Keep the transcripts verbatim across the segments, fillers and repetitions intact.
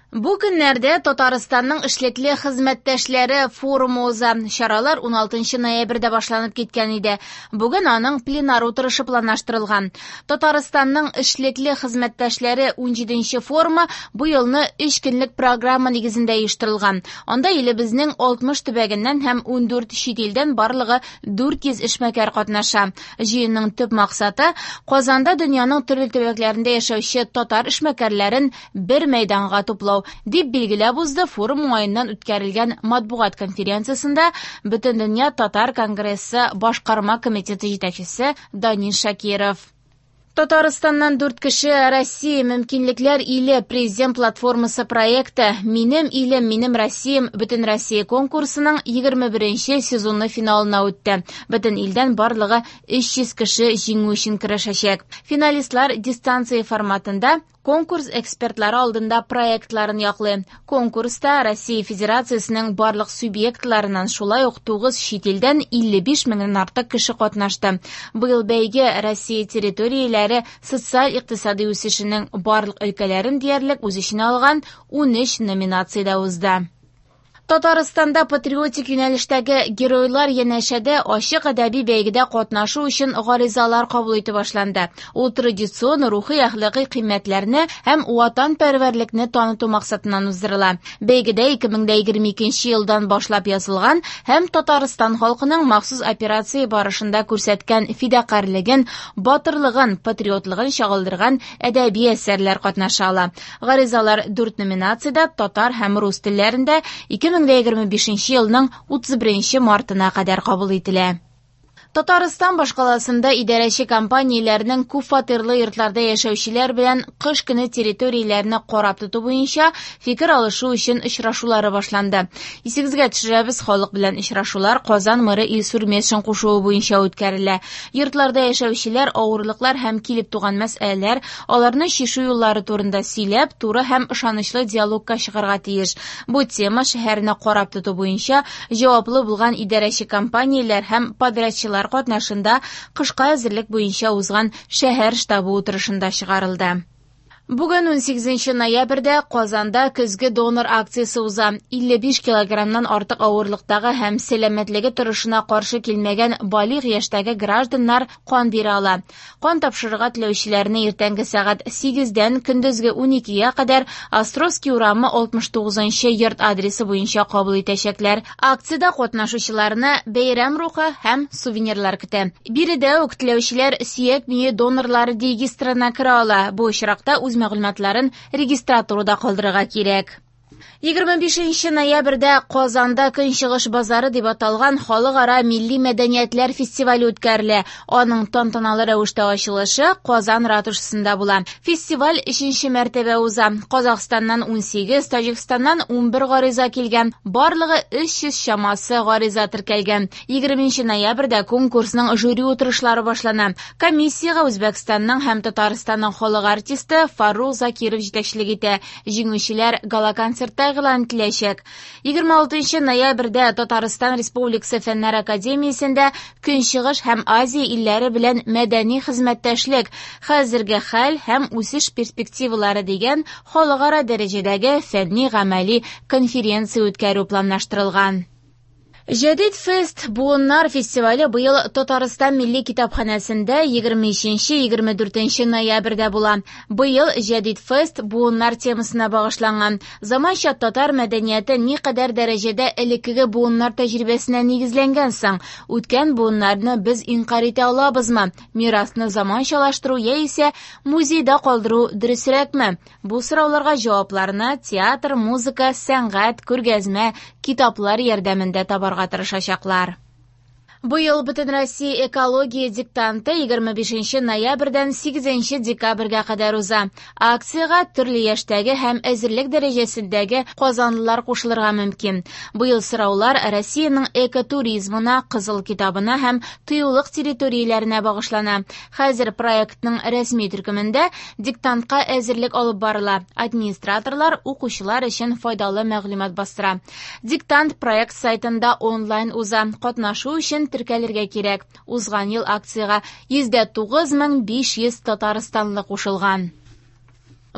Бу көннәрдә Татарстанның эшлекле хезмәттәшләре форумы уза. Чаралар уналтынчы ноябрьдә башланып киткән иде. Бүген аның пленар утырышы планлаштырылган. Татарстанның эшлекле хезмәттәшләре унҗиденче форумы бу елны өч көнлек программа нигезендә оештырылган. Анда илебезнең алтмыш төбәгеннән һәм ундүрт чит илдән барлыгы дүрт йөз эшмәкәр катнаша. Җыенның төп максаты Казанда дөньяның төрле төбәкләрендә яшәүче татар эшмәкәрләрен бер мәйданга туплау, дип билгеләп узды форум уңаеннан үткәрелгән матбугат конференциясендә Бөтендөнья татар конгрессы башкарма комитеты җитәкчесе Данил Шакиров. Татарстаннан дүрт кеше Россия мөмкинлекләр иле президент платформасы проекты Минем илем, минем Россиям Бөтен Россия конкурсының егерме беренче сезоны финалына үтте. Бөтен илдән барлыгы өч йөз кеше җиңү өчен көрәшәчәк. Финалистлар дистанция форматында конкурс экспертлары алдында проектларын яклый. Конкурста Россия Федерациясенең барлык субъектларыннан шулай ук тугыз чит илдән илле биш меңнән артык кеше катнашты. Быел бәйге Россия территорияләре социаль-икътисади үсешенең барлык өлкәләрен диярлек үз эченә алган унөч номинациядә узды. Татарстанда патриотик юнәлештәге геройлар янәшәдә ачык әдәби бәйгедә катнашу өчен гаризалар кабул итә башланды. Ул традицион рухи әхлакый кыйммәтләрне һәм ватанпәрвәрлекне таныту максатыннан уздырыла. Бәйгедә ике мең дә егерме икенче елдан башлап язылган һәм Татарстан халкының махсус операция барышында күрсәткән фидакарьлеген, батырлыгын, патриотлыгын чагылдырган әдәби әсәрләр катнаша ала. Гаризалар дүрт номинациядә татар һәм рус телләрендә ике мең егерме бишенче елның утыз беренче мартына кадәр кабул ителә. Татарстан башкаласында идарәче компанияләрнең күп фатирлы йортларда яшәүчеләр белән кыш көне территорияләрне карап тоту буенча фикер алышу өчен очрашулары башланды. Исегезгә төшерәбез, халык белән очрашулар Казан мэры Илсур Метшин кушуы буенча үткәрелә. Йортларда яшәүчеләр авырлыклар һәм килеп туган мәсьәләләр, аларны чишү юллары турында сөйләп, туры һәм ышанычлы диалогка чыгарга тиеш. Бу тема шәһәрне карап тоту буенча җаваплы булган идарәче компанияләр һәм подрядчылар катнашында кышка әзерлек буенча узган шәһәр штабы утырышында чыгарылды. Бүген унсигезенче ноябрьдә Казанда көзге донор акциясе уза. Илле биш килограммнан артык авырлыктагы һәм сәламәтлеге торышына каршы килмәгән балигъ яшьтәге гражданнар кан бирә ала. Кан тапшырырга теләүчеләрне иртәнге сәгать сигездән көндезге уникегә кадәр Островский урамы алтмыш тугызынчы йорт адресы буенча кабул итәчәкләр. Акциядә катнашучыларны бәйрәм рухы һәм сувенирлар көтә. Биредә үк теләүчеләр сөяк мие донорлары регистрына керә ала. Бу очракта үз мәгълүматларын регистратурада калдырырга кирәк. Егерме бишенче ноябрьдә Казанда Көнчыгыш базары дип аталган халыкара милли мәдәниятләр фестивале үткәрелә. Аның тантаналы рәвештә ачылышы Казан ратушасында була. Фестиваль өченче мәртәбә уза. Казахстаннан унсигез, Таҗикстаннан унбер гариза килгән. Барлыгы өч йөз чамасы гариза теркәлгән. Егерменче ноябрьдә конкурсның жюри утырышлары башлана. Комиссиягә Үзбәкстанның һәм Татарстанның халык артисты Фаррух Закиров җитәкчелек итә. Җиңүчеләр гала-концертта игълан ителәчәк. Егерме алтынчы ноябрьдә Татарстан Республикасы Фәннәр Академиясендә Көнчыгыш һәм Азия илләре белән мәдәни хезмәттәшлек, хәзерге хәл һәм үсеш перспективалары дигән халыкара дәрәҗәдәге фәнни-гамәли конференция үткәрү планлаштырылган. Җәдит фест буыннар фестивале быел Татарстан милли китапханәсендә егерме өченче, егерме дүртенче ноябрьдә була. Быел Җәдит фест буыннар темасына багышланган. Заманча татар мәдәнияте никадәр дәрәҗәдә элеккеге буыннар тәҗрибәсенә нигезләнгән соң? Үткән буыннарны без инкарь итә алабызмы? Мирасны заманчалаштыру яисә музейда калдыру дөресрәкме? Бу сорауларга җавапларны театр, музыка, сәнгать, күргәзмә, китаплар ярдәмендә табарга тырышачаклар. Быел Бөтен Россия экология диктанты егерме бишенче ноябрьдән сигезенче декабрьгә кадәр уза. Акциягә төрле яшьтәге һәм әзерлек дәрәҗәсендәге казанлылар кушылырга мөмкин. Быел сораулар Россиянең экотуризмына, Кызыл китабына һәм тыюлык территорияләренә багышлана. Хәзер проектның рәсми төркемендә диктантка әзерлек алып барыла. Администраторлар укучылар өчен файдалы мәгълүмат бастыра. Диктант проект сайтында онлайн уза. Катнашу өчен теркәлергә кирәк. Узган ел акциягә йөз дә тугыз мең биш йөз татарстанлы кушылган.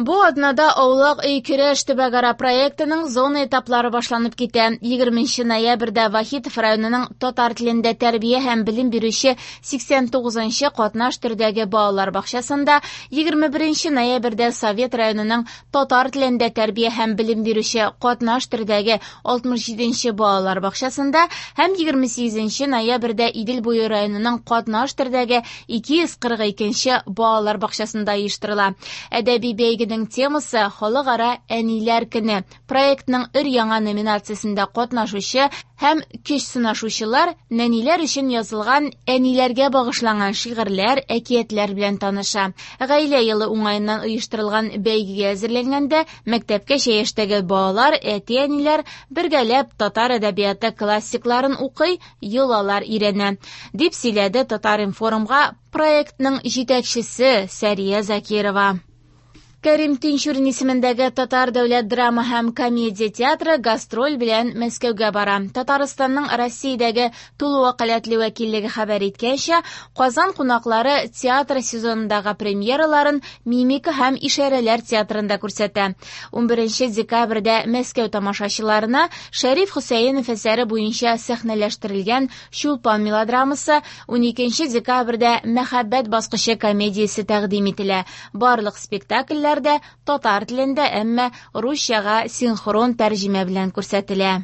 Бу атнада Аулак өй көрәш төбәкара проектының зона этаплары башланып китә. Егерменче ноябрьдә Вахитов районының татар телендә тәрбия һәм белем бирүче сиксән тугызынчы катнаш төрдәге балалар бакчасында, егерме беренче ноябрьдә Совет районының татар телендә тәрбия һәм белем бирүче катнаш төрдәге алтмыш җиденче балалар бакчасында һәм егерме сигезенче ноябрьдә Идел буе районының катнаш төрдәге ике йөз кырык икенче балалар бакчасында оештырыла. Әдәби бәйгенең темасы Халыкара әниләр көне. Проектның өр-яңа номинациясендә катнашучы һәм көч сынашучылар нәниләр өчен язылган әниләргә багышланган шигырьләр, әкиятләр белән таныша. Гаилә елы уңаеннан оештырылган бәйгегә әзерләнгәндә мәктәпкәчә яшьтәге балалар, әти-әниләр бергәләп татар әдәбияты классикларын укый, йолалар өйрәнә, дип сөйләде Татар-информга проектның җитәкчесе Сәрия Закирова. Кәрим Тинчурин исемендәге Татар дәүләт драма һәм комедия театры гастроль белән Мәскәүгә бара. Татарстанның Россиядәге тулы вәкаләтле вәкиллеге хәбәр иткәнчә, Казан кунаклары театр сезонындагы премьераларын мимика һәм ишарәләр театрында күрсәтә. Унберенче декабрьдә Мәскәү тамашачыларына Шәриф Хөсәенов әсәре буенча сәхнәләштерелгән Чулпан мелодрамасы, уникенче декабрьдә Мәхәббәт баскычы комедиясе тәкъдим ителә. Барлык спектакльләр дә татар телендә, әмма русчага синхрон тәрҗемә белән күрсәтелә.